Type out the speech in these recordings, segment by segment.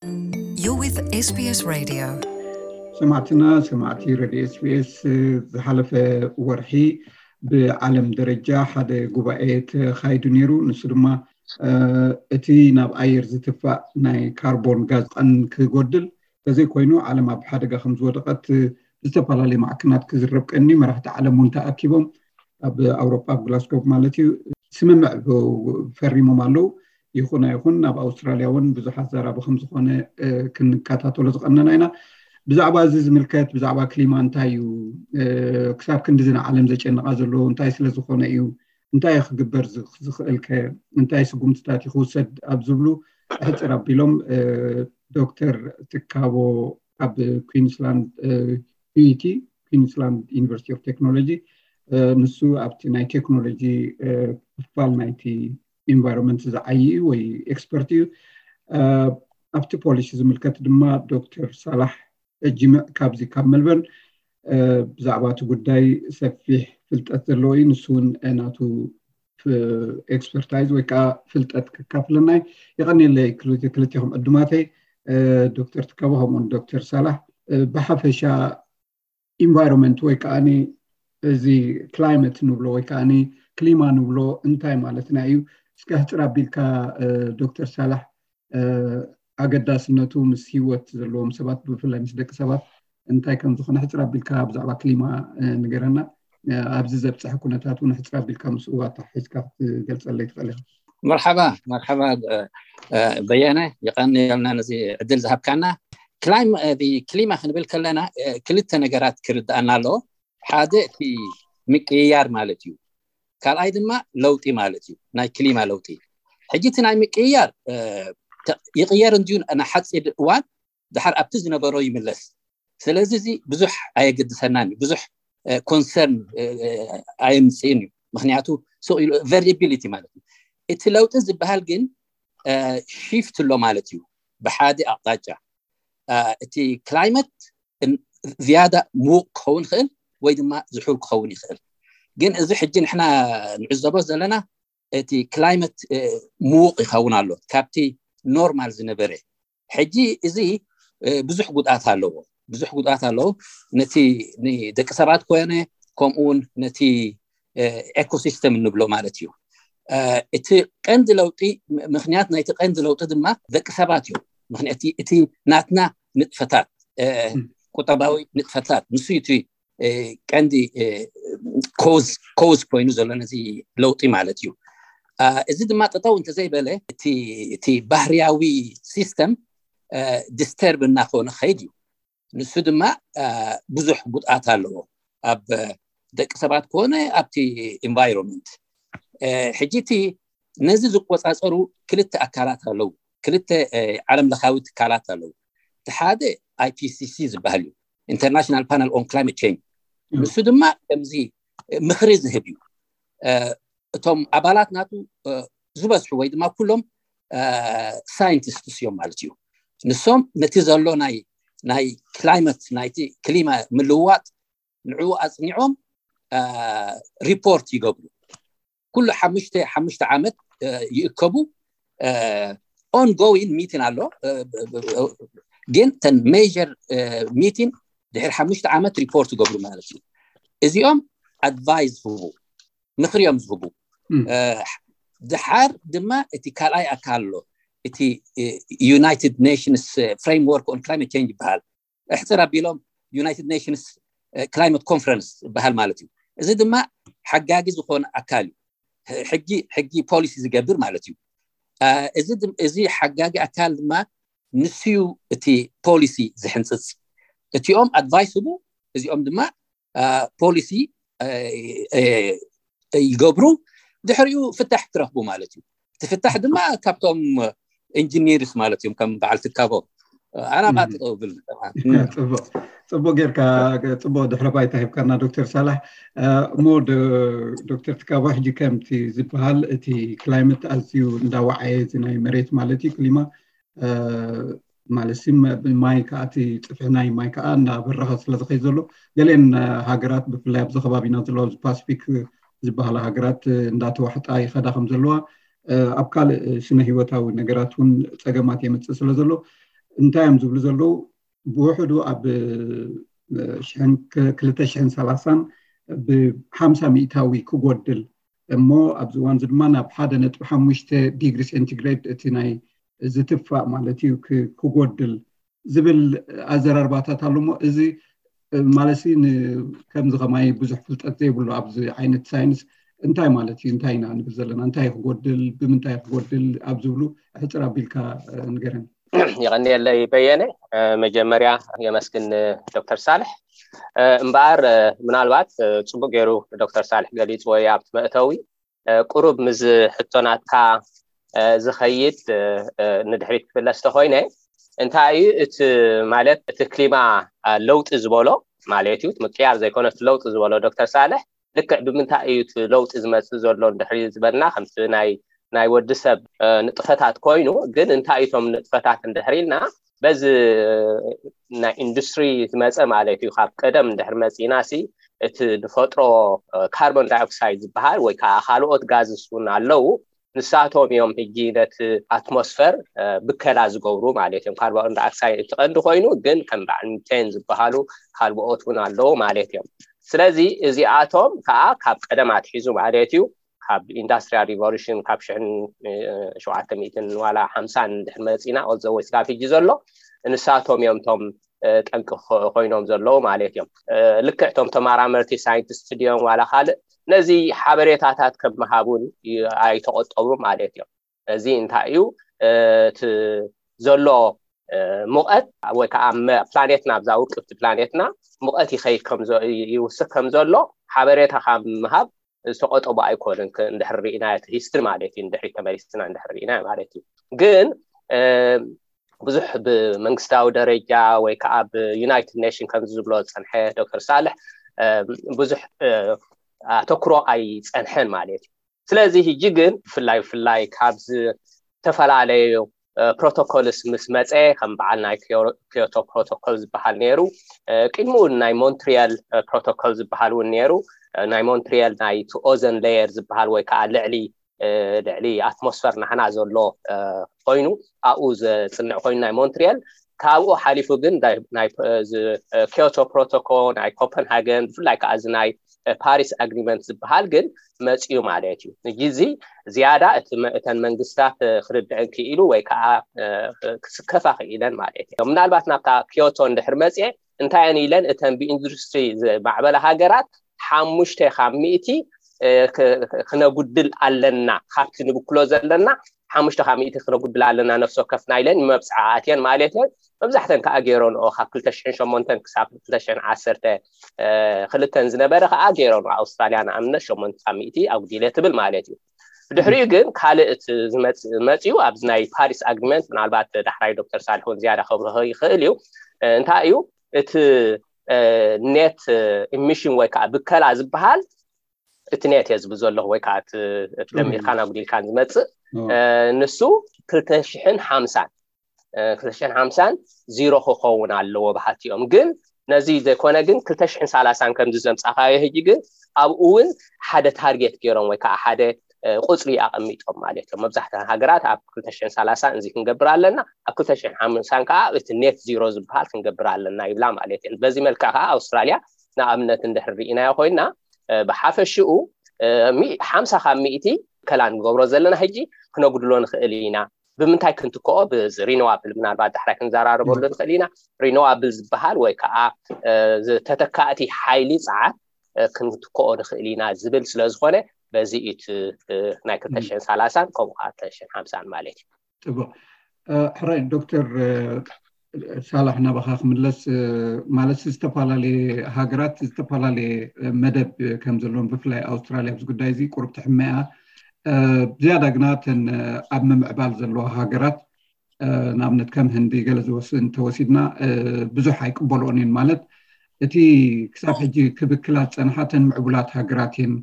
You're with SBS Radio. ሰማዕትና ሰማዕቲ ሬድዮ SBS፣ ዝሓለፈ ወርሒ ብዓለም ደረጃ ሓደ ጉባኤ ተኻይዱ ነይሩ። ንሱ ድማ እቲ ናብ ኣየር ዝትፋእ ናይ ካርቦን ጋዝ ቀን ክጎድል፣ ተዘይኮይኑ ዓለም ኣብ ሓደጋ ከም ዝወደቐት ብዝተፈላለዩ ማዕከናት ክዝረብ ቀኒ። መራሕቲ ዓለም እውን ተኣኪቦም ኣብ ኣውሮፓ ኣብ ግላስጎ ማለት እዩ ስምምዕ ፈሪሞም ኣለዉ። ይኹን ኣይኹን ኣብ ኣውስትራልያ እውን ብዙሓት ዘራቢ ከም ዝኾነ ክንከታተሎ ዝቐነና ኢና። ብዛዕባ እዚ ዝምልከት ብዛዕባ ክሊማ እንታይ እዩ፣ ክሳብ ክንድዚ ንዓለም ዘጨንቓ ዘሎ እንታይ ስለ ዝኾነ እዩ፣ እንታይ ክግበር ዝኽእል ከ፣ እንታይ ስጉምትታት እዩ ክውሰድ ኣብ ዝብሉ ሕፅር ኣቢሎም ዶክተር ትካቦ ኣብ ኩንስላንድ፣ ዩቲ ኩንስላንድ ዩኒቨርሲቲ ኦፍ ቴክኖሎጂ፣ ንሱ ኣብቲ ናይ ቴክኖሎጂ ክፋል ናይቲ ኢንቫይሮንመንት ዝዓይ እዩ ወይ ኤክስፐርት እዩ። ኣብቲ ፖሊሲ ዝምልከት ድማ ዶክተር ሳላሕ ጅምዕ ካብዚ ካብ መልበርን ብዛዕባ እቲ ጉዳይ ሰፊሕ ፍልጠት ዘለዎ እዩ። ንሱ እውን ናቱ ኤክስፐርታይዝ ወይ ከዓ ፍልጠት ክካፍለና እዩ። የቐንየለይ ክልቲኹም ዕዱማተይ፣ ዶክተር ትካቦ ከምኡውን ዶክተር ሳላሕ። ብሓፈሻ ኢንቫይሮንመንት ወይ ከዓ እዚ ክላይመት ንብሎ ወይ ከዓ ክሊማ ንብሎ እንታይ ማለትና እዩ? እስከ ሕፅር ኣቢልካ ዶክተር ሳላሕ ኣገዳስነቱ ምስ ሂወት ዘለዎም ሰባት ብፍላይ ምስ ደቂ ሰባት እንታይ ከም ዝኾነ ሕፅር ኣቢልካ ብዛዕባ ክሊማ ንገረና። ኣብዚ ዘብፅሐ ኩነታት እውን ሕፅር ኣቢልካ ምስኡ ኣተሓሒዝካ ክትገልፀለይ ትኽእል ኢኻ። መርሓባ መርሓባ በየነ፣ የቐንየልና ነዚ ዕድል ዝሃብካና። ክሊማ ክንብል ከለና ክልተ ነገራት ክርድኣና ኣለዎ። ሓደ እቲ ምቅይያር ማለት እዩ። ካልኣይ ድማ ለውጢ ማለት እዩ፣ ናይ ክሊማ ለውጢ። ሕጂ እቲ ናይ ምቅይያር ይቅየር እንድዩ ንሓፂር እዋን፣ ድሓር ኣብቲ ዝነበሮ ይምለስ። ስለዚ እዚ ብዙሕ ኣየገድሰናን እዩ፣ ብዙሕ ኮንሰርን ኣየምፅእን እዩ። ምክንያቱ ቨሪያቢሊቲ ማለት እዩ። እቲ ለውጢ ዝበሃል ግን ሺፍት ኣሎ ማለት እዩ። ብሓደ ኣቕጣጫ እቲ ክላይመት ዝያዳ ምዉቕ ክኸውን ይኽእል ወይ ድማ ዝሑል ክኸውን ይኽእል። ግን እዚ ሕጂ ንሕና ንዕዘቦ ዘለና እቲ ክላይመት ምዉቕ ይኸውን ኣሎ ካብቲ ኖርማል ዝነበረ። ሕጂ እዚ ብዙሕ ጉድኣት ኣለዎ፣ ብዙሕ ጉድኣት ኣለዎ። ነቲ ንደቂ ሰባት ኮነ ከምኡ እውን ነቲ ኤኮሲስተም እንብሎ ማለት እዩ። እቲ ቀንዲ ለውጢ፣ ምክንያት ናይቲ ቀንዲ ለውጢ ድማ ደቂ ሰባት እዮም። ምክንያቱ እቲ ናትና ንጥፈታት፣ ቁጠባዊ ንጥፈታት፣ ንሱ እቲ ቀንዲ ኮዝ ኮይኑ ዘሎ ነዚ ለውጢ ማለት እዩ። እዚ ድማ ጠጠው እንተዘይበለ እቲ ባህርያዊ ሲስተም ዲስተርብ እናኾነ ኸይድ እዩ። ንሱ ድማ ብዙሕ ጉድኣት ኣለዎ ኣብ ደቂ ሰባት ኮነ ኣብቲ ኢንቫይሮንመንት። ሕጂ እቲ ነዚ ዝቆፃፀሩ ክልተ ኣካላት ኣለዉ፣ ክልተ ዓለም ለኻዊ ትካላት ኣለዉ። እቲ ሓደ ኣይፒሲሲ ዝበሃል እዩ፣ ኢንተርናሽናል ፓነል ኦን ክላይመት ቼንጅ። ንሱ ድማ ከምዚ ምኽሪ ዝህብ እዩ። እቶም ኣባላት ናቱ ዝበዝሑ ወይ ድማ ኩሎም ሳይንቲስትስ እዮም ማለት እዩ። ንሶም ነቲ ዘሎ ናይ ናይ ክላይመት ናይቲ ክሊማ ምልውዋጥ ንዕኡ ኣፅኒዖም ሪፖርት ይገብሩ። ኩሉ ሓሙሽተ ሓሙሽተ ዓመት ይእከቡ። ኦንጎዊን ሚቲን ኣሎ፣ ግን ተን ሜጀር ሚቲን ድሕሪ ሓሙሽተ ዓመት ሪፖርት ይገብሩ ማለት እዩ። እዚኦም ኣድቫይስ ዝህቡ፣ ምኽሪ እዮም ዝህቡ። ድሓር ድማ እቲ ካልኣይ ኣካል ኣሎ፣ እቲ ዩናይትድ ኔሽንስ ፍሬምወርክ ኦን ክላይመት ቼንጅ ይበሃል። እሕፅር ኣቢሎም ዩናይትድ ኔሽንስ ክላይመት ኮንፈረንስ ይበሃል ማለት እዩ። እዚ ድማ ሓጋጊ ዝኾነ ኣካል እዩ። ሕጊ ሕጊ ፖሊሲ ዝገብር ማለት እዩ። እዚ ሓጋጊ ኣካል ድማ ንሱ እዩ እቲ ፖሊሲ ዝሕንፅፅ። እቲኦም ኣድቫይስ ህቡ፣ እዚኦም ድማ ፖሊሲ ይገብሩ። ድሕሪኡ ፍታሕ ክረኽቡ ማለት እዩ። እቲ ፍታሕ ድማ ካብቶም ኢንጂኒርስ ማለት እዮም፣ ከም በዓል ትካቦ ኣና ባጥጠው ብል። ፅቡቅ ጌርካ፣ ፅቡቅ ድሕረ ባይታ ሂብካና ዶክተር ሳላሕ። እሞ ዶክተር ትካቦ፣ ሕጂ ከምቲ ዝበሃል እቲ ክላይመት ኣዝዩ እንዳወዓየ፣ እዚ ናይ መሬት ማለት እዩ፣ ክሊማ ማለት ሲ ማይ ከዓ፣ እቲ ፅፍሒ ናይ ማይ ከዓ እንዳበረኸ ስለዝኸይ ዘሎ፣ ገሌን ሃገራት ብፍላይ ኣብዚ ከባቢና ዘለዋ ኣብዚ ፓስፊክ ዝበሃላ ሃገራት እንዳተዋሕጣ ይኸዳ ከም ዘለዋ፣ ኣብ ካልእ ስነ ህይወታዊ ነገራት እውን ፀገማት የምፅእ ስለ ዘሎ፣ እንታይ እዮም ዝብሉ ዘለዉ? ብውሕዱ ኣብ ሽሕን ክልተ ሽሕን ሰላሳን ብሓምሳ ሚእታዊ ክጎድል እሞ ኣብዚ እዋን እዚ ድማ ናብ ሓደ ነጥቢ ሓሙሽተ ዲግሪ ሴንቲግሬድ እቲ ናይ ዝትፋእ ማለት እዩ ክጎድል ዝብል ኣዘራርባታት ኣሎ። እሞ እዚ ማለት ከምዚ ከማይ ብዙሕ ፍልጠት ዘይብሉ ኣብዚ ዓይነት ሳይንስ እንታይ ማለት እዩ? እንታይ ኢና ንብል ዘለና? እንታይ ክጎድል፣ ብምንታይ ክጎድል ኣብ ዝብሉ ሕፅር ኣቢልካ ንገረን። የቐንየለይ በየነ። መጀመርያ የመስግን ዶክተር ሳልሕ። እምበኣር ምናልባት ፅቡቅ ገይሩ ዶክተር ሳልሕ ገሊፅዎ ኣብቲ መእተዊ ቁሩብ ምስ ሕቶናትካ ዝኸይድ ንድሕሪት ክፍለስ ተኮይነ እንታይ እዩ እቲ ማለት እቲ ክሊማ ለውጢ ዝበሎ ማለት እዩ ምቅያር ዘይኮነ ለውጢ ዝበሎ ዶክተር ሳልሕ ልክዕ ብምንታይ እዩ እቲ ለውጢ ዝመፅእ ዘሎ እንድሕሪ ዝበልና ከምቲ ናይ ናይ ወዲ ሰብ ንጥፈታት ኮይኑ ግን እንታይ እቶም ንጥፈታት እንድሕሪ ኢልና በዚ ናይ ኢንዱስትሪ ዝመፀ ማለት እዩ ካብ ቀደም እንድሕር መፂና ሲ እቲ ንፈጥሮ ካርቦን ዳይኦክሳይድ ዝበሃል ወይ ከዓ ካልኦት ጋዝስ እውን ኣለዉ ንሳቶም እዮም ሕጂ ነቲ ኣትሞስፈር ብከላ ዝገብሩ ማለት እዮም ካርቦን ዳይኦክሳይድ እቲ ቀንዲ ኮይኑ ግን ከም በዓል ሚቴን ዝበሃሉ ካልኦት እውን ኣለዉ ማለት እዮም ስለዚ እዚኣቶም ከዓ ካብ ቀደም ኣትሒዙ ማለት እዩ ካብ ኢንዳስትሪያል ሪቮሉሽን ካብ ሽሕን ሸውዓተ ሚእትን ዋላ ሓምሳን እንድሕር መፂና ኦልዘወይ ስጋብ ሕጂ ዘሎ ንሳቶም እዮም ቶም ጠንቂ ኮይኖም ዘለዉ ማለት እዮም ልክዕ ቶም ተመራመርቲ ሳይንቲስት ድዮም ዋላ ካልእ ነዚ ሓበሬታታት ከመሃብ እውን ኣይተቆጠቡ ማለት እዮም እዚ እንታይ እዩ እቲ ዘሎ ሙቐት ወይ ከዓ ፕላኔትና ኣብዛ ውቅብቲ ፕላኔትና ሙቐት ይኸይድ ይውስክ ከም ዘሎ ሓበሬታ ካብ ምሃብ ዝተቆጠቡ ኣይኮንን እንድሕር ርኢና እቲ ሂስትሪ ማለት እዩ እንድሕሪ ተመሊስና እንድሕር ርኢና ማለት እዩ ግን ብዙሕ ብመንግስታዊ ደረጃ ወይ ከዓ ብዩናይትድ ኔሽን ከምዚ ዝብሎ ዝፀንሐ ዶክተር ሳልሕ ብዙሕ ኣተኩሮ ኣይፀንሐን ማለት እዩ ስለዚ ሕጂ ግን ብፍላይ ብፍላይ ካብ ዝተፈላለዩ ፕሮቶኮልስ ምስ መፀ ከም በዓል ናይ ክዮቶ ፕሮቶኮል ዝበሃል ነይሩ ቅድሚኡ ናይ ሞንትሪያል ፕሮቶኮል ዝበሃል እውን ነይሩ ናይ ሞንትሪያል ናይ ኦዘን ሌየር ዝበሃል ወይ ከዓ ልዕሊ ልዕሊ ኣትሞስፈር ናሕና ዘሎ ኮይኑ ኣብኡ ዘፅንዕ ኮይኑ ናይ ሞንትሪያል ካብኡ ሓሊፉ ግን ናይ ኪዮቶ ፕሮቶኮል ናይ ኮፐንሃገን ብፍላይ ከዓ እዚ ናይ ፓሪስ ኣግሪመንት ዝበሃል ግን መፅኡ ማለት እዩ ሕጂ እዚ ዝያዳ እተን መንግስታት ክርድዐን ክኢሉ ወይ ከዓ ክስከፋ ክኢለን ማለት እዩ ምናልባት ናብታ ኪዮቶ እንድሕር መፅአ እንታይ እየን ኢለን እተን ብኢንዱስትሪ ዝማዕበላ ሃገራት ሓሙሽተ ካብ ሚእቲ ክነጉድል ኣለና ካብቲ ንብክሎ ዘለና ሓሙሽተ ካብ ሚእቲ ክነጉድል ኣለና ነፍሲ ወከፍና ኢለን መብፅዓ ኣትየን ማለት እየን መብዛሕተን ከዓ ገይረንኦ ካብ ክልተ ሽሕን ሸሞንተን ክሳብ ክልተ ሽሕን ዓሰርተ ክልተን ዝነበረ ከዓ ገይረንኦ ኣውስትራልያ ንኣብነት ሸሞንተ ካብ ሚእቲ ኣጉዲለ ትብል ማለት እዩ ብድሕሪኡ ግን ካልእ እቲ ዝመፅኡ ኣብዚ ናይ ፓሪስ ኣግሪመንት ምናልባት ዳሕራይ ዶክተር ሳልሕ እውን ዝያዳ ከብርሆ ይኽእል እዩ እንታይ እዩ እቲ ኔት ኢሚሽን ወይ ከዓ ብከላ ዝበሃል እቲ ኔት እየ ዝብል ዘለኹ ወይ ከዓ እቲ ደሚርካን ኣጉዲልካን ዝመፅእ ንሱ ክልተ ሽሕን ሓምሳን ክልተ ሽሕን ሓምሳን ዚሮ ክኸውን ኣለዎ በሃልቲ እዮም ግን ነዚ ዘይኮነ ግን ክልተ ሽሕን ሰላሳን ከምዚ ዘምፃኻዮ ሕጂ ግን ኣብኡ እውን ሓደ ታርጌት ገይሮም ወይ ከዓ ሓደ ቁፅሪ ኣቐሚጦም ማለት እዮም መብዛሕትኣን ሃገራት ኣብ ክልተ ሽሕን ሰላሳን እዚ ክንገብር ኣለና ኣብ ክልተ ሽሕን ሓምሳን ከዓ እቲ ኔት ዚሮ ዝበሃል ክንገብር ኣለና ይብላ ማለት እየን በዚ መልክዕ ከዓ ኣውስትራልያ ንኣብነት እንድሕር ርኢናዮ ኮይና ብሓፈሽኡ ሓምሳ ካብ ሚእቲ ከላ ንገብሮ ዘለና ሕጂ ክነጉድሎ ንኽእል ኢና ብምንታይ ክንትክኦ ብዚ ሪኖዋብል ምናልባት ዳሕራይ ክንዘራረበሉ ንኽእል ኢና ሪኖዋብል ዝበሃል ወይ ከዓ ተተካእቲ ሓይሊ ፀዓት ክንትክኦ ንኽእል ኢና ዝብል ስለዝኾነ በዚ እቲ ናይ ክልተ ሽሕን ሰላሳን ከምኡ ከዓ ክልተ ሽሕን ሓምሳን ማለት እዩ ፅቡቅ ሕራይ ዶክተር ሳላሕ ናባኻ ክምለስ ማለት ዝተፈላለየ ሃገራት ዝተፈላለየ መደብ ከም ዘለዎም ብፍላይ ኣውስትራልያ ኣብዚ ጉዳይ እዚ ቁሩብ ትሕመያ ዝያዳ ግና ተን ኣብ ምምዕባል ዘለዋ ሃገራት ንኣብነት ከም ህንዲ ገለ ዝወስድ እንተወሲድና ብዙሕ ኣይቅበልኦን እየን ማለት እቲ ክሳብ ሕጂ ክብክላ ዝፀንሓ ተን ምዕቡላት ሃገራት እየን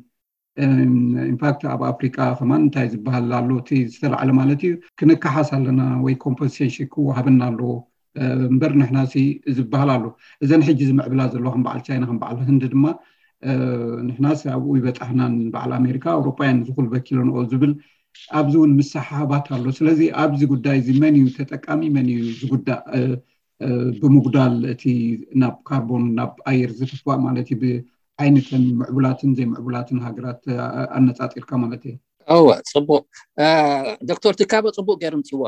ኢንፋክት ኣብ ኣፍሪቃ ከማን እንታይ ዝበሃል ኣሎ እቲ ዝተላዕለ ማለት እዩ ክንከሓስ ኣለና ወይ ኮምፐንሴሽን ክወሃበና ኣለዎ እምበር ንሕና ሲ ዝበሃል ኣሎ እዘን ሕጂ ዝምዕብላ ዘለዋ ከም በዓል ቻይና ከም በዓል ህንዲ ድማ ንሕናስ ኣብኡ ይበፃሕናን በዓል ኣሜሪካ ኣውሮጳውያን ዝኹል በኪለንኦ ዝብል ኣብዚ እውን ምስሕሓባት ኣሎ። ስለዚ ኣብዚ ጉዳይ እዚ መን እዩ ተጠቃሚ፣ መን እዩ ዝጉዳእ? ብምጉዳል እቲ ናብ ካርቦን፣ ናብ ኣየር ዝትፋእ ማለት እዩ፣ ብዓይነተን ምዕቡላትን ዘይምዕቡላትን ሃገራት ኣነፃፂርካ ማለት እዩ። እወ፣ ፅቡቅ። ዶክተር ትካቦ ፅቡቅ ገይሩ ምፅዎ።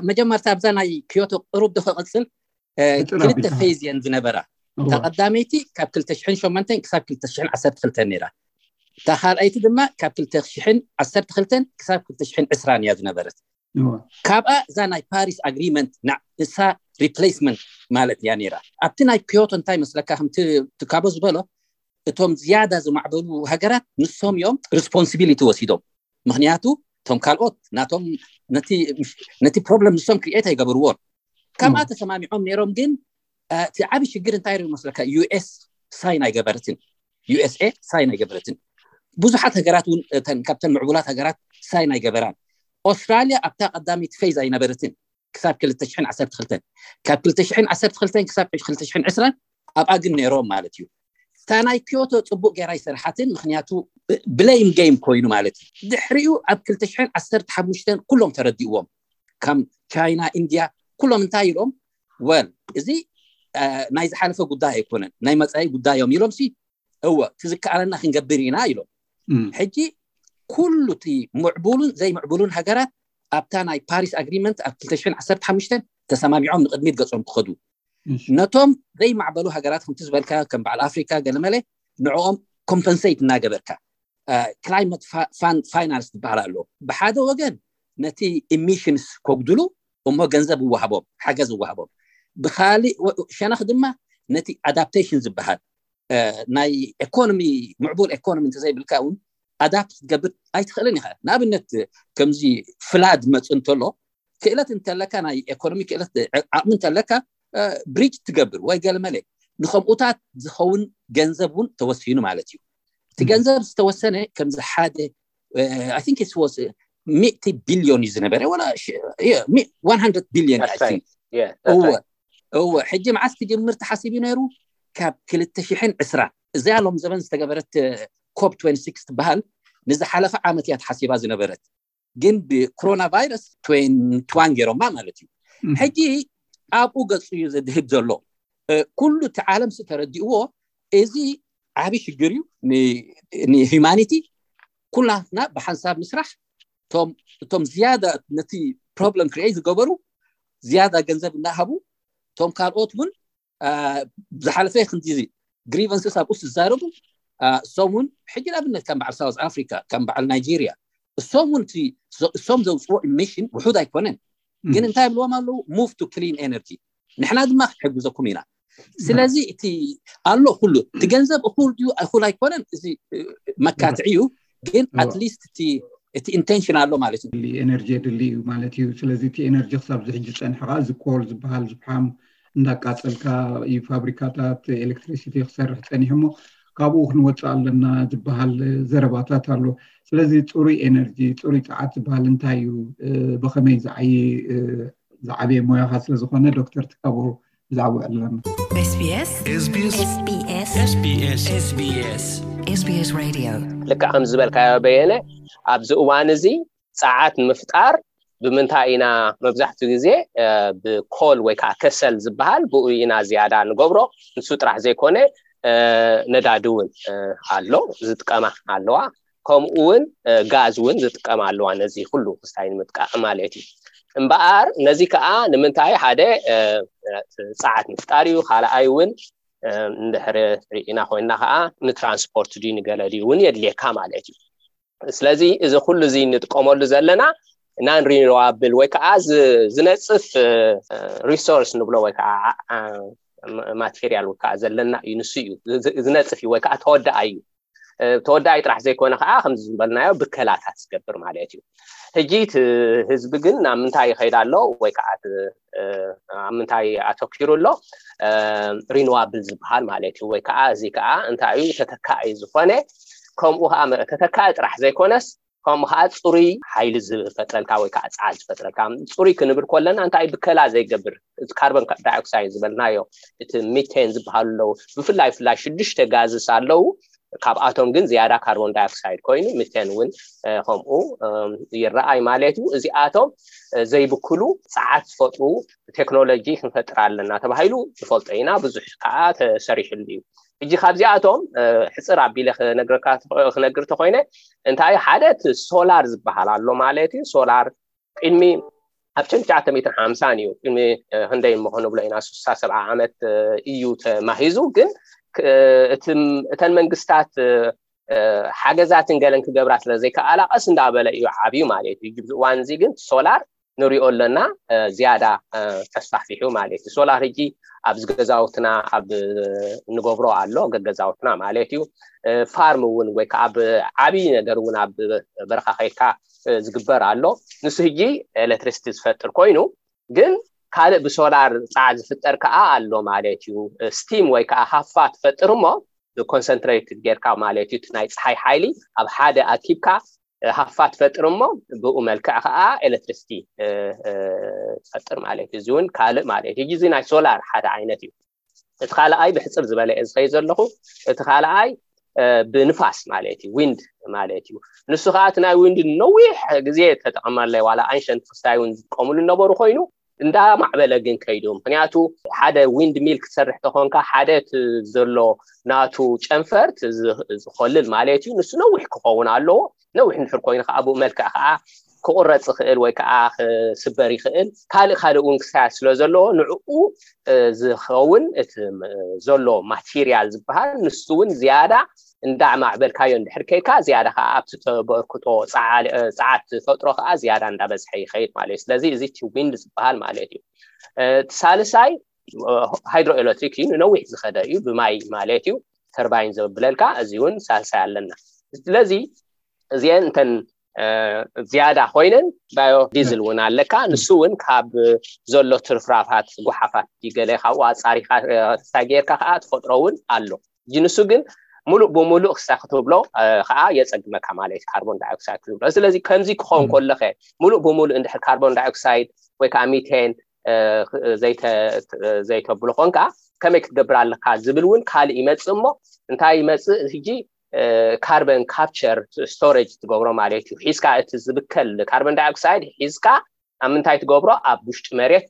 መጀመርታ ኣብዛ ናይ ኪዮቶ ቅሩብ ዶ ከቐፅል? ክልተ ፌዝ እየን ዝነበራ። እታ ቀዳመይቲ ካብ ክልተ ሽሕን ሸሞንተን ክሳብ ክልተ ሽሕን ዓሰርተ ክልተን ነይራ። እታ ካልኣይቲ ድማ ካብ ክልተ ሽሕን ዓሰርተ ክልተን ክሳብ ክልተ ሽሕን ዕስራን እያ ዝነበረት። ካብኣ እዛ ናይ ፓሪስ ኣግሪመንት ንሳ ሪፕሌስመንት ማለት እያ ነይራ። ኣብቲ ናይ ኪዮቶ እንታይ መስለካ፣ ከምቲ ትካቦ ዝበሎ፣ እቶም ዝያዳ ዝማዕበሉ ሃገራት ንሶም እዮም ሪስፖንሲቢሊቲ ወሲዶም። ምክንያቱ እቶም ካልኦት ናቶም ነቲ ፕሮብለም ንሶም ክሪኤት ኣይገበርዎን። ካብኣ ተሰማሚዖም ነይሮም። ግን እቲ ዓብዪ ሽግር እንታይ ሩ መስለካ? ዩ ኤስ ሳይን ኣይገበረትን። ዩ ኤስ ኤ ሳይን ኣይገበረትን። ብዙሓት ሃገራት እውን ካብተን ምዕቡላት ሃገራት ሳይን ኣይገበራን። ኦስትራልያ ኣብታ ቀዳሚት ፌዝ ኣይነበረትን ክሳብ ክልተ ሽሕን ዓሰርተ ክልተን። ካብ ክልተ ሽሕን ዓሰርተ ክልተን ክሳብ ክልተ ሽሕን ዕስራን ኣብኣ ግን ነይሮም ማለት እዩ። እታ ናይ ኪዮቶ ፅቡቅ ገይራ ኣይሰርሓትን። ምክንያቱ ብሌም ጌም ኮይኑ ማለት እዩ። ድሕሪኡ ኣብ ክልተ ሽሕን ዓሰርተ ሓሙሽተን ኩሎም ተረዲእዎም። ከም ቻይና፣ ኢንድያ፣ ኩሎም እንታይ ኢሎም? ወል፣ እዚ ናይ ዝሓለፈ ጉዳይ ኣይኮነን፣ ናይ መፃኢ ጉዳይ እዮም ኢሎም ሲ እወ፣ እቲ ዝከኣለና ክንገብር ኢና ኢሎም። ሕጂ ኩሉ እቲ ምዕቡሉን ዘይምዕቡሉን ሃገራት ኣብታ ናይ ፓሪስ ኣግሪመንት ኣብ ክልተ ሽሕን ዓሰርተ ሓሙሽተን ተሰማሚዖም ንቅድሚት ገጾም ክኸዱ፣ ነቶም ዘይማዕበሉ ሃገራት ከምቲ ዝበልካ ከም በዓል ኣፍሪካ ገለመለ ንዕኦም ኮምፐንሴት እናገበርካ፣ ክላይመት ፋይናንስ ዝበሃል ኣሎ። ብሓደ ወገን ነቲ ኢሚሽንስ ከጉድሉ እሞ ገንዘብ ይወሃቦም፣ ሓገዝ ይወሃቦም። ብካሊእ ሸነኽ ድማ ነቲ ኣዳፕቴሽን ዝበሃል ናይ ኤኮኖሚ፣ ምዕቡል ኤኮኖሚ እንተዘይብልካ እውን ኣዳፕት ክትገብር ኣይትኽእልን ኢኻ። ንኣብነት ከምዚ ፍላድ መፅ እንተሎ ክእለት እንተለካ፣ ናይ ኤኮኖሚ ክእለት ዓቕሚ እንተለካ ብሪጅ ትገብር ወይ ገለመለ ንከምኡታት ዝኸውን ገንዘብ እውን ተወሲኑ ማለት እዩ። እቲ ገንዘብ ዝተወሰነ ከምዚ ሓደ I think it was ሚእቲ ቢልዮን እዩ ዝነበረ፣ ወላ one hundred ቢልዮን። እወ፣ ሕጂ መዓስ ክጅምር ተሓሲቡ ነይሩ? ካብ ክልተ ሽሕን ዕስራን። እዚኣ ሎም ዘበን ዝተገበረት ኮፕ ትበሃል ንዝሓለፈ ዓመት እያ ተሓሲባ ዝነበረት። ግን ብኮሮና ቫይረስ ትዋን ገይሮማ ማለት እዩ። ሕጂ ኣብኡ ገፁ እዩ ዘድህብ ዘሎ። ኩሉ እቲ ዓለም ሲ ተረዲእዎ፣ እዚ ዓብዪ ሽግር እዩ ንሂማኒቲ። ኩላትና ብሓንሳብ ምስራሕ። እቶም ዝያዳ ነቲ ፕሮብለም ክሪኤት ዝገበሩ ዝያዳ ገንዘብ እናሃቡ፣ እቶም ካልኦት እውን ዝሓለፈ ክንዲ ግሪቨንስስ ኣብኡ ዝዛረቡ፣ እሶም እውን ሕጂ ንኣብነት ከም በዓል ሳውዝ ኣፍሪካ፣ ከም በዓል ናይጄሪያ፣ እሶም እውን እሶም ዘውፅዎ ኢሚሽን ውሑድ ኣይኮነን። ግን እንታይ ብልዎም ኣለዉ? ሙቭ ቱ ክሊን ኤነርጂ፣ ንሕና ድማ ክንሕግዘኩም ኢና። ስለዚ እቲ ኣሎ ኩሉ እቲ ገንዘብ እኩል ድዩ እኩል ኣይኮነን፣ እዚ መካትዒ እዩ። ግን ኣትሊስት እቲ ኢንቴንሽን ኣሎ ማለት እዩ። ኤነርጂ የድሊ እዩ ማለት እዩ። ስለዚ እቲ ኤነርጂ ክሳብ ዝሕጂ ፀንሐ ከዓ እዚ ኮል ዝበሃል ዝፍሓም እንዳቃፀልካ እዩ ፋብሪካታት ኤሌክትሪሲቲ ክሰርሕ ፀኒሑ እሞ ካብኡ ክንወፅእ ኣለና ዝበሃል ዘረባታት ኣሎ። ስለዚ ፅሩይ ኤነርጂ፣ ፅሩይ ፀዓት ዝበሃል እንታይ እዩ? ብኸመይ ዝዓይ ዝዓበየ ሞያኻ ስለዝኾነ ዶክተር ትካቦ ብዛዕባ ኣለና። SBS SBS SBS SBS SBS Radio። ልክዕ ከም ዝበልካዮ በየነ፣ ኣብዚ እዋን እዚ ፀዓት ንምፍጣር ብምንታይ ኢና መብዛሕትኡ ግዜ ብኮል ወይ ከዓ ከሰል ዝበሃል ብኡ ኢና ዝያዳ ንገብሮ። ንሱ ጥራሕ ዘይኮነ ነዳዲ እውን ኣሎ ዝጥቀማ ኣለዋ፣ ከምኡ እውን ጋዝ እውን ዝጥቀማ ኣለዋ፣ ነዚ ኩሉ ክስታይ ንምጥቃዕ ማለት እዩ። እምበኣር ነዚ ከዓ ንምንታይ ሓደ ፀዓት ምፍጣር እዩ፣ ካልኣይ እውን እንድሕሪ ርኢና ኮይንና ከዓ ንትራንስፖርት ድዩ ንገለ ድዩ እውን የድልየካ ማለት እዩ። ስለዚ እዚ ኩሉ እዚ ንጥቀመሉ ዘለና ናን ሪኒዋብል ወይ ከዓ ዝነፅፍ ሪሶርስ ንብሎ ወይ ከዓ ማቴሪያል ወይ ከዓ ዘለና እዩ፣ ንሱ እዩ ዝነፅፍ እዩ ወይ ከዓ ተወዳኣይ እዩ። ተወዳኣይ ጥራሕ ዘይኮነ ከዓ ከምዚ ዝበልናዮ ብከላታት ዝገብር ማለት እዩ። ሕጂ እቲ ህዝቢ ግን ናብ ምንታይ ይኸይድ ኣሎ ወይ ከዓ ኣብ ምንታይ ኣተኪሩ ኣሎ? ሪኒዋብል ዝበሃል ማለት እዩ። ወይ ከዓ እዚ ከዓ እንታይ እዩ? ተተካኢ ዝኾነ፣ ከምኡ ከዓ ተተካኢ ጥራሕ ዘይኮነስ ከምኡ ከዓ ፅሩይ ሓይሊ ዝፈጥረልካ ወይ ከዓ ፀዓት ዝፈጥረልካ። ፅሩይ ክንብል ከለና እንታይ ብከላ ዘይገብር፣ ካርቦን ዳይኦክሳይድ ዝበልናዮ፣ እቲ ሚቴን ዝበሃሉ ኣለዉ። ብፍላይ ፍላይ ሽዱሽተ ጋዝስ ኣለዉ። ካብኣቶም ግን ዝያዳ ካርቦን ዳይኦክሳይድ ኮይኑ፣ ሚቴን እውን ከምኡ ይረኣይ ማለት እዩ። እዚኣቶም ዘይብክሉ ጸዓት ዝፈጥሩ ቴክኖሎጂ ክንፈጥር ኣለና ተባሂሉ ንፈልጦ ኢና። ብዙሕ ከዓ ተሰሪሕሉ እዩ። ሕጂ ካብዚኣቶም ሕፅር ኣቢለ ክነግር ተኮይነ፣ እንታይ ሓደ ሶላር ዝበሃል ኣሎ ማለት እዩ። ሶላር ቅድሚ ኣብ ሸንትሽዓተ ሚእትን ሓምሳን እዩ፣ ቅድሚ ክንደይ እሞ ክንብሎ ኢና፣ ስሳ ሰብዓ ዓመት እዩ ተማሂዙ። ግን እተን መንግስታት ሓገዛትን ገለን ክገብራ ስለ ዘይከኣላ ቀስ እንዳበለ እዩ ዓብዩ ማለት እዩ። ኣብዚ እዋን እዚ ግን ሶላር ንሪኦ ኣለና፣ ዝያዳ ተስፋሕፊሑ ማለት እዩ። ሶላር ሕጂ ኣብዚ ገዛውትና ኣብ ንገብሮ ኣሎ፣ ገገዛውትና ማለት እዩ። ፋርም እውን ወይ ከዓ ኣብ ዓብዪ ነገር እውን ኣብ በረኻ ከይድካ ዝግበር ኣሎ። ንሱ ሕጂ ኤሌክትሪሲቲ ዝፈጥር ኮይኑ፣ ግን ካልእ ብሶላር ፃዕ ዝፍጠር ከዓ ኣሎ ማለት እዩ። ስቲም ወይ ከዓ ሃፋ ትፈጥር እሞ ብኮንሰንትሬትድ ጌርካ ማለት እዩ። እቲ ናይ ፀሓይ ሓይሊ ኣብ ሓደ ኣኪብካ ሃፋ ትፈጥር እሞ ብኡ መልክዕ ከዓ ኤሌክትሪሲቲ ትፈጥር ማለት እዩ። እዚ እውን ካልእ ማለት እዩ። እዚ ናይ ሶላር ሓደ ዓይነት እዩ። እቲ ካልኣይ ብሕፅር ዝበለ እየ ዝኸይድ ዘለኹ። እቲ ካልኣይ ብንፋስ ማለት እዩ፣ ዊንድ ማለት እዩ። ንሱ ከዓ እቲ ናይ ዊንድ ነዊሕ ግዜ ተጠቐመለይ፣ ዋላ ኣንሸንት ክስታይ እውን ዝጥቀምሉ ነበሩ ኮይኑ፣ እንዳማዕበለ ግን ከይዱ። ምክንያቱ ሓደ ዊንድ ሚል ክትሰርሕ ተኾንካ ሓደ እቲ ዘሎ ናቱ ጨንፈር ዝኮልል ማለት እዩ። ንሱ ነዊሕ ክኸውን ኣለዎ። ነዊሕ እንድሕር ኮይኑ ከዓ ብኡ መልክዕ ከዓ ክቁረፅ ይኽእል ወይ ከዓ ክስበር ይኽእል። ካልእ ካልእ እውን ክሳያት ስለ ዘለዎ ንዕኡ ዝኸውን እቲ ዘሎ ማቴሪያል ዝበሃል ንሱ እውን ዝያዳ እንዳማዕበልካዮ እንድሕር ከይድካ ዝያዳ ከዓ ኣብቲ ተበርክቶ ፃዓት ትፈጥሮ ከዓ ዝያዳ እንዳበዝሐ ይኸይድ ማለት እዩ። ስለዚ እዚ እቲ ዊንድ ዝበሃል ማለት እዩ። እቲ ሳልሳይ ሃይድሮ ኤሌክትሪክ እዩ፣ ንነዊሕ ዝኸደ እዩ፣ ብማይ ማለት እዩ። ተርባይን ዘብለልካ እዚ እውን ሳልሳይ ኣለና። ስለዚ እዚአን እንተን ዝያዳ ኮይነን ባዮ ዲዝል እውን ኣለካ። ንሱ እውን ካብ ዘሎ ትርፍራፋት ጎሓፋት ገለ ካብኡ ኣፃሪካ ክስታይ ጌርካ ከዓ ተፈጥሮ እውን ኣሎ። ንሱ ግን ሙሉእ ብሙሉእ ክስታይ ክትብሎ ከዓ የፀግመካ ማለት እዩ፣ ካርቦን ዳይኦክሳይድ ክትብሎ። ስለዚ ከምዚ ክኸውን ከለኸ ሙሉእ ብሙሉእ እንድሕር ካርቦን ዳይኦክሳይድ ወይ ከዓ ሚቴን ዘይተብሎ ኮንካ ከመይ ክትገብር ኣለካ ዝብል እውን ካልእ ይመፅእ። እሞ እንታይ ይመፅእ ሕጂ? ካርበን ካፕቸር ስቶሬጅ ትገብሮ ማለት እዩ። ሒዝካ እቲ ዝብከል ካርበን ዳይኦክሳይድ ሒዝካ ኣብ ምንታይ ትገብሮ? ኣብ ውሽጢ መሬት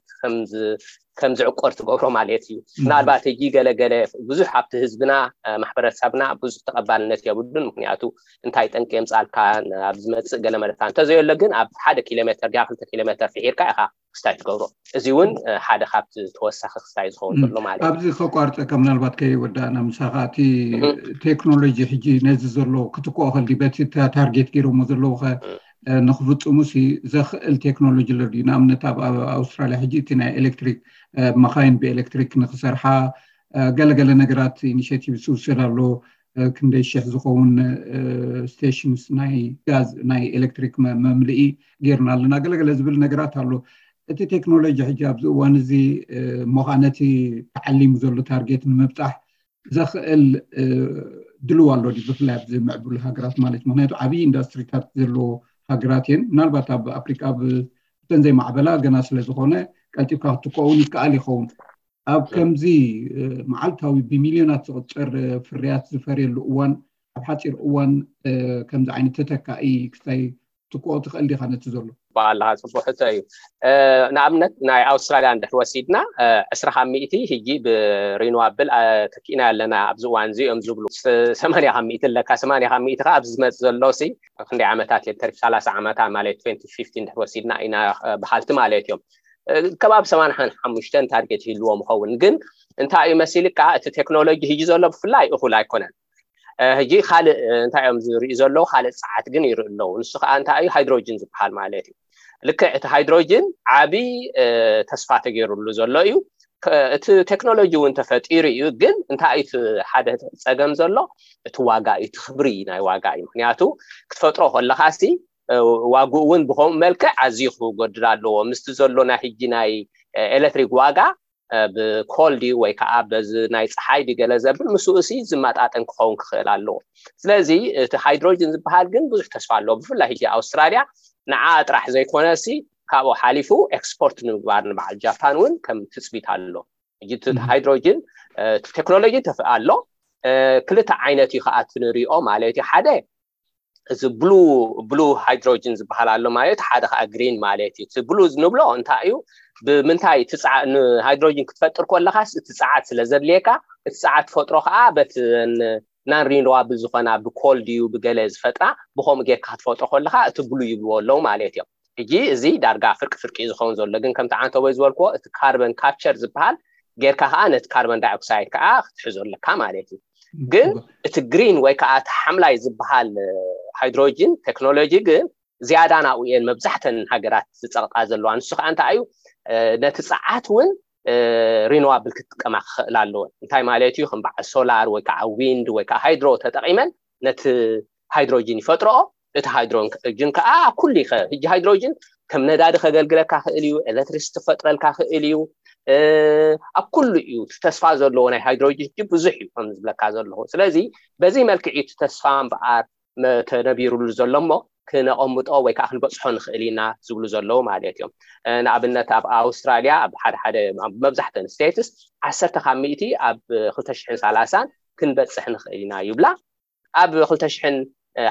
ከም ዝዕቆር ትገብሮ ማለት እዩ። ምናልባት ሕጂ ገለገለ ብዙሕ ኣብቲ ህዝብና ማሕበረሰብና ብዙሕ ተቐባልነት የብሉን። ምክንያቱ እንታይ ጠንቂ የምፃልካ ኣብ ዝመፅእ ገለ መለታ እንተዘየሎ ግን ኣብ ሓደ ኪሎ ሜትር ዲያ ክልተ ኪሎ ሜትር ፍሒርካ ኢኻ ክስታይ ትገብሮ። እዚ እውን ሓደ ካብቲ ተወሳኺ ክስታይ ዝኸውን ዘሎ ማለት እዩ። ኣብዚ ከቋርፀካ ምናልባት ከይወዳእና ምሳኻ፣ እቲ ቴክኖሎጂ ሕጂ ነዚ ዘሎ ክትክኦ ከልዲ በቲ ታርጌት ገይሮሞ ዘለዉ ከ ንክፍፅሙ ሲ ዘኽእል ቴክኖሎጂ ኣሎ ድዩ? ንኣብነት ኣብ ኣውስትራሊያ ሕጂ እቲ ናይ ኤሌክትሪክ መኻይን ብኤሌክትሪክ ንክሰርሓ ገለገለ ነገራት ኢኒሽቲቭ ዝውሰድ ኣሎ። ክንደይ ሽሕ ዝኸውን ስቴሽንስ ናይ ጋዝ ናይ ኤሌክትሪክ መምልኢ ጌርና ኣለና፣ ገለገለ ዝብል ነገራት ኣሎ። እቲ ቴክኖሎጂ ሕጂ ኣብዚ እዋን እዚ እሞ ከዓ ነቲ ተዓሊሙ ዘሎ ታርጌት ንምብፃሕ ዘኽእል ድልው ኣሎ ድዩ? ብፍላይ ኣብዚ ምዕቡል ሃገራት ማለት፣ ምክንያቱ ዓብዪ ኢንዱስትሪታት ዘለዎ ሃገራት እየን። ምናልባት ኣብ ኣፍሪቃ ብተን ዘይማዕበላ ገና ስለ ዝኾነ ቀልጢፍካ ክትከውን ይከኣል ይኸውን። ኣብ ከምዚ መዓልታዊ ብሚልዮናት ዝቕፅር ፍርያት ዝፈርየሉ እዋን፣ ኣብ ሓፂር እዋን ከምዚ ዓይነት ተተካኢ ክስታይ ትክኦ ትኽእል ዲኻ ነቲ ዘሎ? ኣለካ፣ ፅቡቅ ሕቶ እዩ። ንኣብነት ናይ ኣውስትራሊያ እንድሕር ወሲድና ዕስራ ካብ ሚእቲ ሕጂ ብሪኒዋብል ተኪእና ኣለና ኣብዚ እዋን እዚ እዮም ዝብሉ። ሰማንያ ካብ ሚእቲ ኣለካ። ሰማንያ ካብ ሚእቲ ከዓ ኣብዚ ዝመፅእ ዘሎ ሲ ክንደይ ዓመታት እየ ተሪፍ? ሰላሳ ዓመታ ማለት ትወንቲ ፊፍቲ እንድሕር ወሲድና ኢና በሃልቲ ማለት እዮም። ከባቢ ሰማንያ ሓሙሽተ ታርጌት ይህልዎም ይኸውን። ግን እንታይ እዩ መሲልካ፣ እቲ ቴክኖሎጂ ሕጂ ዘሎ ብፍላይ እኹል ኣይኮነን። ሕጂ ካልእ እንታይ እዮም ዝርእዩ ዘለዉ? ካልእ ጸዓት ግን ይርኢ ኣለዉ። ንሱ ከዓ እንታይ እዩ? ሃይድሮጅን ዝበሃል ማለት እዩ። ልክዕ እቲ ሃይድሮጅን ዓቢ ተስፋ ተገይሩሉ ዘሎ እዩ። እቲ ቴክኖሎጂ እውን ተፈጢሩ እዩ። ግን እንታይ እቲ ሓደ ጸገም ዘሎ? እቲ ዋጋ እዩ፣ እቲ ክብሪ ናይ ዋጋ እዩ። ምክንያቱ ክትፈጥሮ ከለኻሲ ዋግኡ እውን ብከምኡ መልክዕ ኣዝዩ ክጎድል ኣለዎ። ምስቲ ዘሎ ናይ ሕጂ ናይ ኤሌክትሪክ ዋጋ ብኮል ድዩ ወይ ከዓ በዚ ናይ ፀሓይ ድዩ ገለ ዘብል ምስኡ ሲ ዝመጣጠን ክኸውን ክኽእል ኣለዎ። ስለዚ እቲ ሃይድሮጅን ዝበሃል ግን ብዙሕ ተስፋ ኣለዎ። ብፍላይ ሕጂ ኣውስትራልያ ንዓ ጥራሕ ዘይኮነ ሲ ካብኡ ሓሊፉ ኤክስፖርት ንምግባር ንበዓል ጃፓን እውን ከም ትፅቢት ኣሎ። ሕጂ እቲ ሃይድሮጅን ቴክኖሎጂ ተፍ ኣሎ፣ ክልተ ዓይነት እዩ ከዓ እቲ ንሪኦ ማለት እዩ። ሓደ እዚ ብሉ ብሉ ሃይድሮጅን ዝበሃል ኣሎ ማለት ሓደ ከዓ ግሪን ማለት እዩ። እቲ ብሉ ንብሎ እንታይ እዩ? ብምንታይ ሃይድሮጅን ክትፈጥር ከለካስ እቲ ፀዓት ስለ ዘድልየካ እቲ ፀዓት ትፈጥሮ ከዓ በቲ ናን ሪኒዋብል ዝኾና ብኮል ድዩ ብገለ ዝፈጥራ ብከምኡ ጌርካ ክትፈጥሮ ከለካ እቲ ብሉ ይብልዎ ኣለዉ ማለት እዮም። ሕጂ እዚ ዳርጋ ፍርቂ ፍርቂ ዝኸውን ዘሎ ግን ከምቲ ዓንተቦይ ዝበልክዎ እቲ ካርበን ካፕቸር ዝበሃል ጌርካ ከዓ ነቲ ካርበን ዳይኦክሳይድ ከዓ ክትሕዞ ኣለካ ማለት እዩ። ግን እቲ ግሪን ወይ ከዓ እቲ ሓምላይ ዝበሃል ሃይድሮጅን ቴክኖሎጂ ግን ዝያዳ ናብኡ እየን መብዛሕተን ሃገራት ዝፀቕጣ ዘለዋ። ንሱ ከዓ እንታይ እዩ? ነቲ ፀዓት እውን ሪኖዋብል ክጥቀማ ክኽእል ኣለወን። እንታይ ማለት እዩ? ከም በዓል ሶላር ወይ ከዓ ዊንድ ወይ ከዓ ሃይድሮ ተጠቂመን ነቲ ሃይድሮጅን ይፈጥረኦ። እቲ ሃይድሮጅን ከዓ ኩሉ ይኸ ህጂ ሃይድሮጅን ከም ነዳዲ ከገልግለካ ክእል እዩ፣ ኤሌክትሪስ ትፈጥረልካ ክእል እዩ። ኣብ ኩሉ እዩ እቲ ተስፋ ዘለዎ ናይ ሃይድሮጅን ህጂ ብዙሕ እዩ ከም ዝብለካ ዘለኹ። ስለዚ በዚ መልክዕ እዩ እቲ ተስፋ እምበኣር ተነቢሩሉ ዘሎ እሞ ክነቐምጦ ወይ ከዓ ክንበፅሖ ንኽእል ኢና ዝብሉ ዘለዉ ማለት እዮም። ንኣብነት ኣብ ኣውስትራልያ ኣብ ሓደ ሓደ መብዛሕተን ስቴትስ ዓሰርተ ካብ ሚእቲ ኣብ ክልተ ሽሕን ሰላሳን ክንበፅሕ ንኽእል ኢና ይብላ። ኣብ ክልተ ሽሕን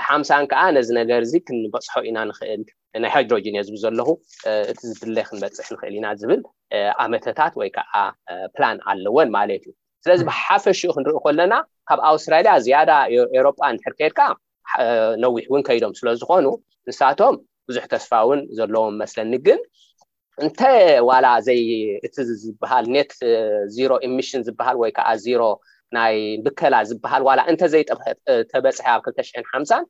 ሓምሳን ከዓ ነዚ ነገር እዚ ክንበፅሖ ኢና ንኽእል ናይ ሃይድሮጅን እየ ዝብል ዘለኹ። እቲ ዝድለ ክንበፅሕ ንኽእል ኢና ዝብል ኣመተታት ወይ ከዓ ፕላን ኣለወን ማለት እዩ። ስለዚ ብሓፈሽኡ ክንርኢ ከለና ካብ ኣውስትራልያ ዝያዳ ኤሮጳ እንድሕር ከይድካ ነዊሕ እውን ከይዶም ስለ ዝኾኑ ንሳቶም ብዙሕ ተስፋ እውን ዘለዎም መስለኒ። ግን እንተ ዋላ ዘይ እቲ ዝበሃል ኔት ዚሮ ኢሚሽን ዝበሃል ወይ ከዓ ዚሮ ናይ ብከላ ዝበሃል ዋላ እንተ ዘይተበፅሐ ኣብ ክልተ ሽሕን ሓምሳን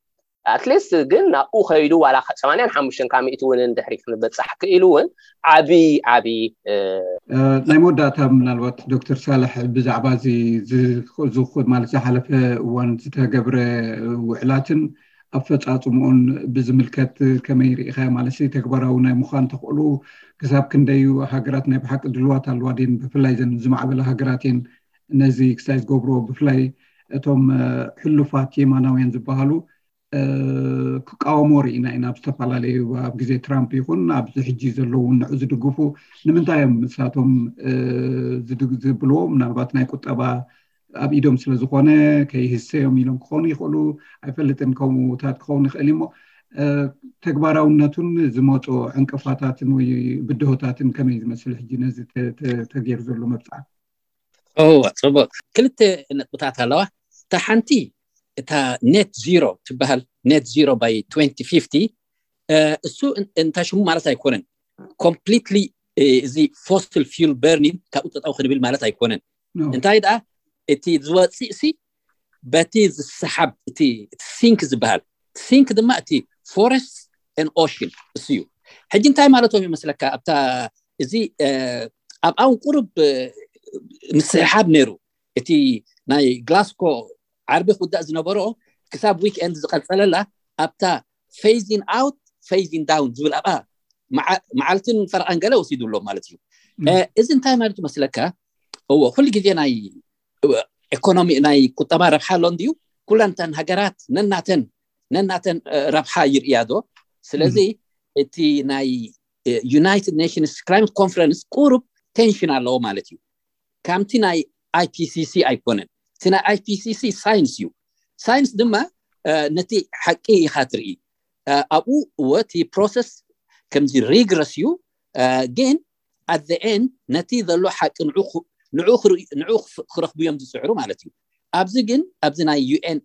ኣትሊስት ግን ናብኡ ከይዱ ዋላ ሰማንያን ሓሙሽተን ካብ ሚእቲ እውን እንድሕሪ ክንበፃሕ ክኢሉ እውን ዓብዪ ዓብዪ ናይ መወዳእታ ምናልባት ዶክተር ሳልሕ ብዛዕባ እዚ ማለት ዝሓለፈ እዋን ዝተገብረ ውዕላትን ኣፈፃፅምኡን ብዝምልከት ከመይ ርኢኻ ማለት ተግባራዊ ናይ ምዃን ተኽእሎ ክሳብ ክንደዩ ሃገራት ናይ ብሓቂ ድልዋት ኣለዋ ድን ብፍላይ ዘን ዝማዕበለ ሃገራት እየን ነዚ ክሳይ ዝገብርዎ ብፍላይ እቶም ሕሉፋት የማናውያን ዝበሃሉ ክቃወሞ ርኢና ኢና። ኣብ ዝተፈላለዩ ኣብ ግዜ ትራምፕ ይኹን ኣብዚ ሕጂ ዘለዉ ንዑ ዝድግፉ ንምንታይ እዮም ንሳቶም ዝብልዎ ምናልባት ናይ ቁጠባ ኣብ ኢዶም ስለዝኾነ ከይህሰዮም ኢሎም ክኾኑ ይኽእሉ ኣይፈልጥን። ከምኡታት ክኸውን ይኽእል እሞ ተግባራውነቱን ዝመፁ ዕንቅፋታትን ወይ ብድሆታትን ከመይ ዝመስል ሕጂ ነዚ ተገይሩ ዘሎ መብፅዓ? ጽቡቅ ክልተ ነጥብታት ኣለዋ። እታ ሓንቲ እታ ኔት ዚሮ ትበሃል ኔት ዚሮ ባይ እሱ እንታይ ሽሙ ማለት ኣይኮነን። ኮምፕሊትሊ እዚ ፎሲል ፊውል በርኒንግ ካብኡ ጠጠው ክንብል ማለት ኣይኮነን። እንታይ ደኣ እቲ ዝወፅእ ሲ በቲ ዝሰሓብ እቲ ሲንክ ዝበሃል ሲንክ ድማ እቲ ፎረስት ን ኦሽን እሱ እዩ። ሕጂ እንታይ ማለቶም ይመስለካ ኣብታ እዚ ኣብ ኣውን ቁሩብ ምስሕሓብ ነይሩ። እቲ ናይ ግላስኮ ዓርቢ ክውዳእ ዝነበሮ ክሳብ ዊክኤንድ ዝቐፀለላ ኣብታ ፌዚን ኣውት ፌዚን ዳውን ዝብል ኣብኣ መዓልትን ፈረቓን ገለ ወሲዱ ኣሎ ማለት እዩ። እዚ እንታይ ማለት ይመስለካ? እዎ ኩሉ ግዜ ናይ ኢኮኖሚ ናይ ቁጠባ ረብሓ ኣሎ እንድዩ። ኩለን እተን ሃገራት ነናተን ነናተን ረብሓ ይርእያ ዶ? ስለዚ እቲ ናይ ዩናይትድ ኔሽንስ ክላይመት ኮንፈረንስ ቁሩብ ቴንሽን ኣለዎ ማለት እዩ። ከምቲ ናይ ኣይፒሲሲ ኣይኮነን። እቲ ናይ ኣይፒሲሲ ሳይንስ እዩ። ሳይንስ ድማ ነቲ ሓቂ ኢኻ ትርኢ። ኣብኡ እወ እቲ ፕሮሰስ ከምዚ ሪግረስ እዩ፣ ግን ኣት ኤንድ ነቲ ዘሎ ሓቂ ንዑ ክረኽቡ እዮም ዝፅዕሩ ማለት እዩ። ኣብዚ ግን ኣብዚ ናይ ዩኤን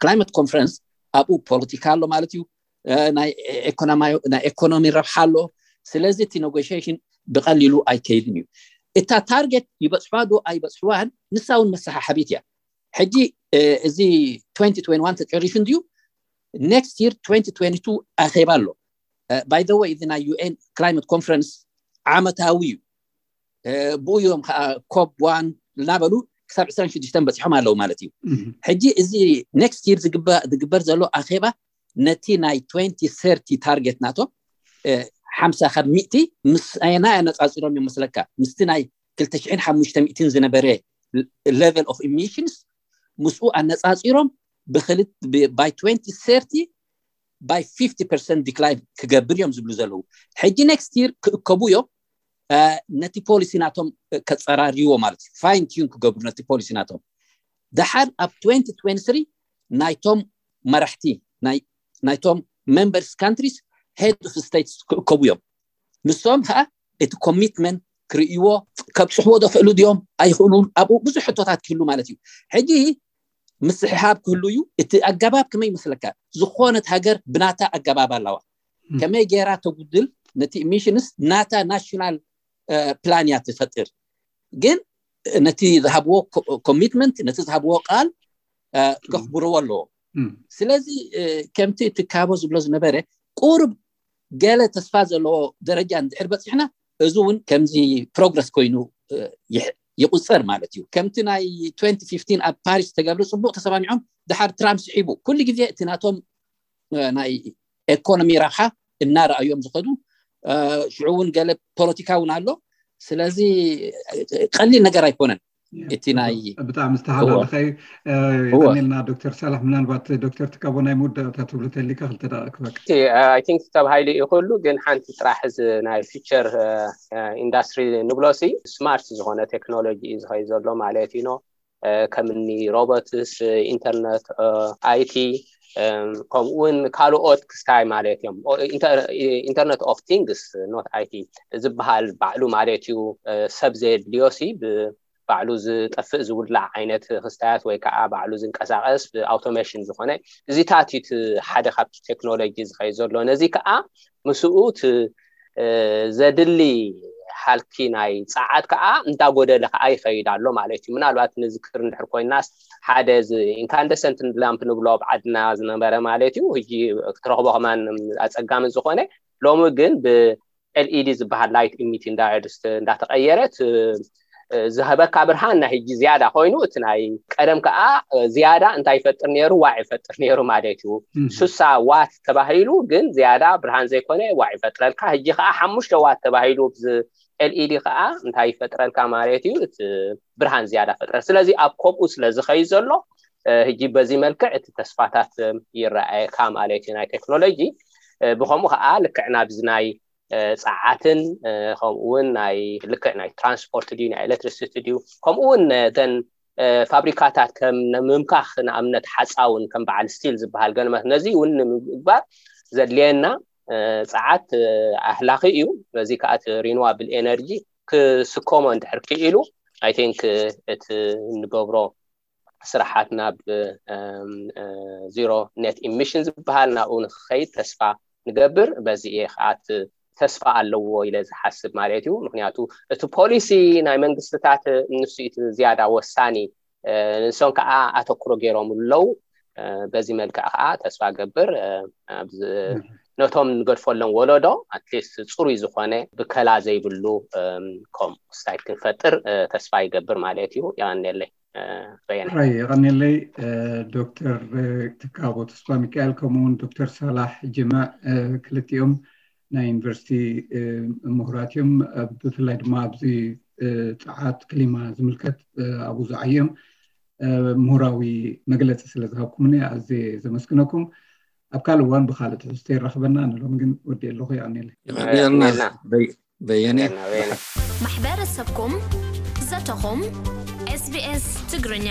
ክላይመት ኮንፈረንስ ኣብኡ ፖለቲካ ኣሎ ማለት እዩ፣ ናይ ኢኮኖሚ ረብሓ ኣሎ። ስለዚ እቲ ኔጎሽሽን ብቐሊሉ ኣይከይድን እዩ። እታ ታርጌት ይበፅሕዋ ዶ ኣይበፅሕዋን ንሳ እውን መሰሓሓቢት እያ። ሕጂ እዚ ተጨሪሹ እንድዩ። ኔክስት ይር ኣኼባ ኣሎ። ባይ ዘ ወይ እዚ ናይ ዩኤን ክላይመት ኮንፈረንስ ዓመታዊ እዩ። ብኡ እዮም ከዓ ኮፕ ዋን እናበሉ ክሳብ ዕስራን ሽዱሽተን በፂሖም ኣለዉ ማለት እዩ። ሕጂ እዚ ኔክስት ይር ዝግበር ዘሎ ኣኼባ ነቲ ናይ ተርቲ ታርጌት ናቶም ሓምሳ ካብ ሚእቲ ምስ ኣየናይ ኣነፃፂሮም እዮም መስለካ? ምስቲ ናይ ክልተ ሽሕን ሓሙሽተ ሚእትን ዝነበረ ሌቨል ኦፍ ኢሚሽንስ ምስኡ ኣነፃፂሮም ብክልት ባይ ተርቲ ባይ ፊፍቲ ፐርሰንት ዲክላይን ክገብር እዮም ዝብሉ ዘለዉ። ሕጂ ኔክስት ይር ክእከቡ እዮም ነቲ ፖሊሲ ናቶም ከፀራርይዎ ማለት እዩ። ፋይን ቲዩን ክገብሩ ነቲ ፖሊሲ ናቶም ደሓር ኣብ twenty twenty three ናይቶም መራሕቲ ናይቶም members countries head of states ክእከቡ እዮም። ንሶም ከዓ እቲ commitment ክርእይዎ፣ ከብፅሕዎ ዶ ክእሉ ድዮም ኣይኽእሉን፣ ኣብኡ ብዙሕ ሕቶታት ክህሉ ማለት እዩ። ሕጂ ምስሕሓብ ክህሉ እዩ። እቲ ኣገባብ ከመይ ይመስለካ? ዝኾነት ሃገር ብናታ ኣገባብ ኣለዋ። ከመይ ገይራ ተጉድል ነቲ emissions ናታ national plan እያ ትፈጥር። ግን ነቲ ዝሃብዎ commitment፣ ነቲ ዝሃብዎ ቃል ከኽብርዎ ኣለዎ። ስለዚ ከምቲ እቲ ካቦ ዝብሎ ዝነበረ ቁሩብ ገለ ተስፋ ዘለዎ ደረጃ እንድሕር በፂሕና፣ እዚ እውን ከምዚ progress ኮይኑ ይቁፀር ማለት እዩ። ከምቲ ናይ twenty fifteen ኣብ ፓሪስ ተገብረ፣ ፅቡቅ ተሰማሚዖም፣ ድሓር ትራምፕ ስሒቡ። ኩሉ ግዜ እቲ ናቶም ናይ economy ረብሓ እናረኣዮም ዝኸዱ፣ ሽዑ እውን ገለ ፖለቲካ እውን ኣሎ። ስለዚ ቀሊል ነገር ኣይኮነን። እቲ ናይ ብጣዕሚ ዝተሓላለኸ እዩ። የቐንየልና ዶክተር ሳላሕ። ምናልባት ዶክተር ትካቦ ናይ መወዳእታ ትብሎ ተሊካ ክልተ ደቂቕ ክበቅ። I think ተባሂሉ እዩ ኩሉ፣ ግን ሓንቲ ጥራሕ እዚ ናይ future industry ንብሎ ሲ smart ዝኾነ ቴክኖሎጂ እዩ ዝኸይ ዘሎ ማለት እዩ። ከምኒ robots፣ internet፣ IT፣ ከምኡውን ካልኦት ክስታይ ማለት እዮም። Internet of Things፣ not IT ዝበሃል ባዕሉ ማለት እዩ። ሰብ ዘየድልዮ ሲ ባዕሉ ዝጠፍእ ዝውላዕ ዓይነት ክስታያት ወይ ከዓ ባዕሉ ዝንቀሳቀስ ብ automation ዝኾነ እዚታት እዩ ሓደ ካብቲ ቴክኖሎጂ ዝኸይ ዘሎ። ነዚ ከዓ ምስኡ ዘድሊ ሃልኪ ናይ ፀዓት ከዓ እንዳጎደለ ከዓ ይኸይድ ኣሎ ማለት እዩ። ምናልባት ንዝክር እንድሕር ኮይናስ ሓደ incandescent lamp ንብሎ ኣብ ዓድና ዝነበረ ማለት እዩ፣ ሕጂ ክትረኽቦ ከማን ኣፀጋሚ ዝኾነ፣ ሎሚ ግን ብ LED ዝበሃል light emitting diodes እንዳተቀየረት ዝህበካ ብርሃን ናይ ሕጂ ዝያዳ ኮይኑ፣ እቲ ናይ ቀደም ከዓ ዝያዳ እንታይ ይፈጥር ነይሩ? ዋዕ ይፈጥር ነይሩ ማለት እዩ። ሱሳ ዋት ተባሂሉ ግን ዝያዳ ብርሃን ዘይኮነ ዋዕ ይፈጥረልካ። ሕጂ ከዓ ሓሙሽተ ዋት ተባሂሉ LED ከዓ እንታይ ይፈጥረልካ ማለት እዩ? እቲ ብርሃን ዝያዳ ፈጥረል። ስለዚ ኣብ ከምኡ ስለ ዝኸይ ዘሎ ሕጂ በዚ መልክዕ እቲ ተስፋታት ይረኣየካ ማለት እዩ ናይ ቴክኖሎጂ። ብከምኡ ከዓ ልክዕ ናብዚ ናይ ፀዓትን ከምኡውን ናይ ልክዕ ናይ ትራንስፖርት ድዩ ናይ ኤሌክትሪሲቲ ድዩ ከምኡውን ተን ፋብሪካታት ከም ምምካኽ ንኣብነት ሓፃውን ከም በዓል ስቲል ዝበሃል ገለመት ነዚ እውን ንምግባር ዘድልየና ፀዓት ኣህላኺ እዩ። በዚ ከዓ እቲ renewable energy ክስከሞ እንድሕር ክኢሉ I think እቲ እንገብሮ ስራሓት ናብ zero net emission ዝበሃል ናብኡ ንክኸይድ ተስፋ ንገብር። በዚ እየ ከዓ ተስፋ ኣለዎ ኢለ ዝሓስብ ማለት እዩ። ምክንያቱ እቲ ፖሊሲ ናይ መንግስትታት ንሱ እቲ ዝያዳ ወሳኒ፣ ንሶም ከዓ ኣተኩሮ ገይሮም ኣለዉ። በዚ መልክዕ ከዓ ተስፋ ገብር ነቶም ንገድፈሎም ወለዶ ኣትሊስት ፅሩይ ዝኾነ ብከላ ዘይብሉ composite site ክንፈጥር ተስፋ ይገብር ማለት እዩ። የቐንየለይ። ራይ የቐንየለይ። ዶክተር ትካቦ ተስፋ ሚካኤል ከምኡውን ዶክተር ሳላሕ ጅማዕ ክልቲኦም ናይ ዩኒቨርሲቲ ምሁራት እዮም። ብፍላይ ድማ ኣብዚ ፀዓት ክሊማ ዝምልከት ኣብኡ ዝዓዮም ምሁራዊ መግለፂ ስለ ዝሃብኩምኒ ኣዝየ ዘመስግነኩም። ኣብ ካልእ እዋን ብካልእ ትሕዝቶ ይራኽበና። ንሎም ግን ወዲ ኣለኹ። የቐንየለይ። በየነ ማሕበረሰብኩም ዘተኹም SBS ትግርኛ